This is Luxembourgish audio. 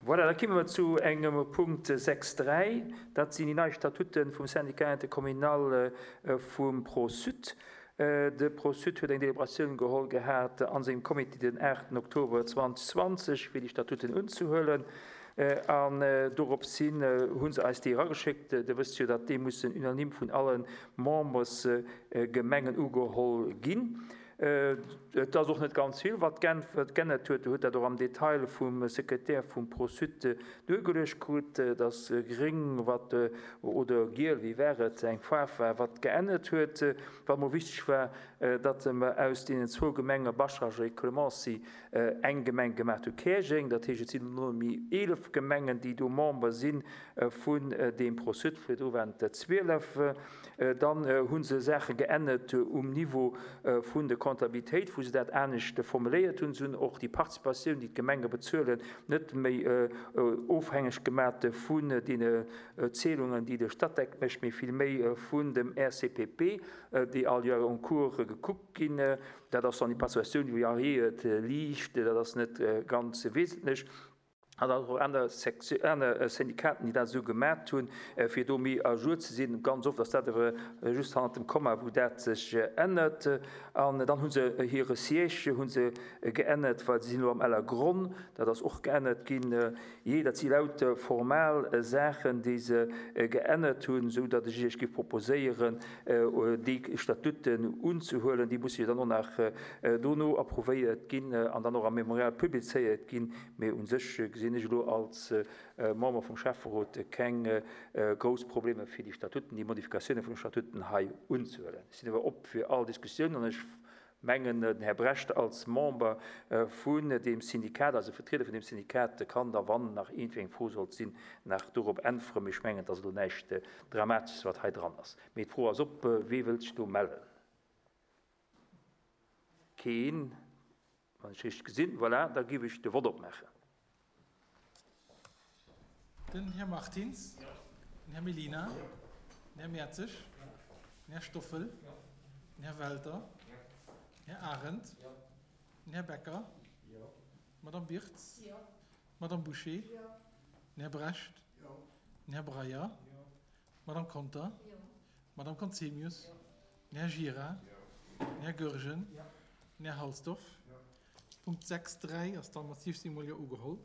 Voilà, da kimme mer zu engem Punkt 6, 3. Dat sinn déi nei Statute vum Syndicat intercommunal vum Pro-Sud. De Pro-Sud huet eng Deliberatioun geholl gehat a sengem Comité den 8 Oktober 2020, fir déi Statuten unzehuelen. An doropshin hu se eis déi erageschéckt. Dir wësst jo, datt déi mussen unanime vun alle Membersgemengen ugeholl ginn. Et ass och net ganz vill, wat geännert huet. Der hutt dat och am Detail vum Sekretär vum Pro-Sud duergeluecht krut, dass gréng, wat, oder giel, wéi war et, eng Faarf war, wat geännert huet. Wat mer wichteg war, datt mer aus deenen zwou Gemenge Bascharage a Clemency eng Gemeng gemaach hu, Käerjeng. Dat heescht, et sinn elo nëmme méi 11 Gemengen, déi do Member si vun deem Pro-Sud. Virdru waren et der 12. Dann hu se Saache geännert um Niveau vun der Comptabilitéit, wou se dat anescht formuléiert hunn. Se hunn och déi Participatioun, déi d'Gemenge bezuelen, net méi ofhängeg gemat vun deene Zielungen, déi de Statec mécht, mee vill méi vun dem RCPP, déi all Joer en cours gekuckt ginn. Dat ass dann déi Participatioun, déi variéiert liicht, dat ass net ganz wesentlech. An dann och aner aner Syndikaten, déi dat esou gemat hunn, fir do méi à jour ze sinn. Ganz oft ass dat awer just hannert dem Komma, wou dat sech ännert. An dann hu se hire Siège hu se geännert, well se sinn elo am Ellergronn. Dat ass och geännert ginn. Jee, dat si lauter formal Saachen, déi se geännert hunn, esou datt ech Iech géif proposéieren, déi Statuten unzehuelen. Déi musse jo dann och nach dono approuvéiert ginn an dann och am Mémorial publizéiert ginn. Mee u sech gesinn ech elo als Member vum Schäfferot keng grouss Problemer fir déi Statuten, déi Modifikatioune vun de Statuten hei unzehuelen. Ech sinn awer op fir all Diskussioun an ech mengen, den Här Brecht als Member vun deem Syndikat, also Vertrieder vun deem Syndikat, kann da, wann nach iergendwéi eng Fro sollt sinn, nach dorop äntweren. Mee ech mengen, et ass elo näischt Dramatesches, wat hei dran ass. Mee d'Fro ass op, Wee wëllt sech do mellen? Keen. Wann ech richteg gesinn, voilà, da giff ech de Vott opmaachen. Den Här Martins. Den Här Mellina. Den Här Mertzig. Den Här Stoffel. Den Här Welter. Den Här Arendt. Den Här Becker. D'Madame Birtz. D'Madame Bouché. Den Här Brecht. Den Här Breyer. D'Madame Conter. D'Madame Conzemius. Den Här Gira. Den Här Goergen. Den Här Halsdorf. Punkt 6, 3 ass dann mat 16 mol Jo ugeholl.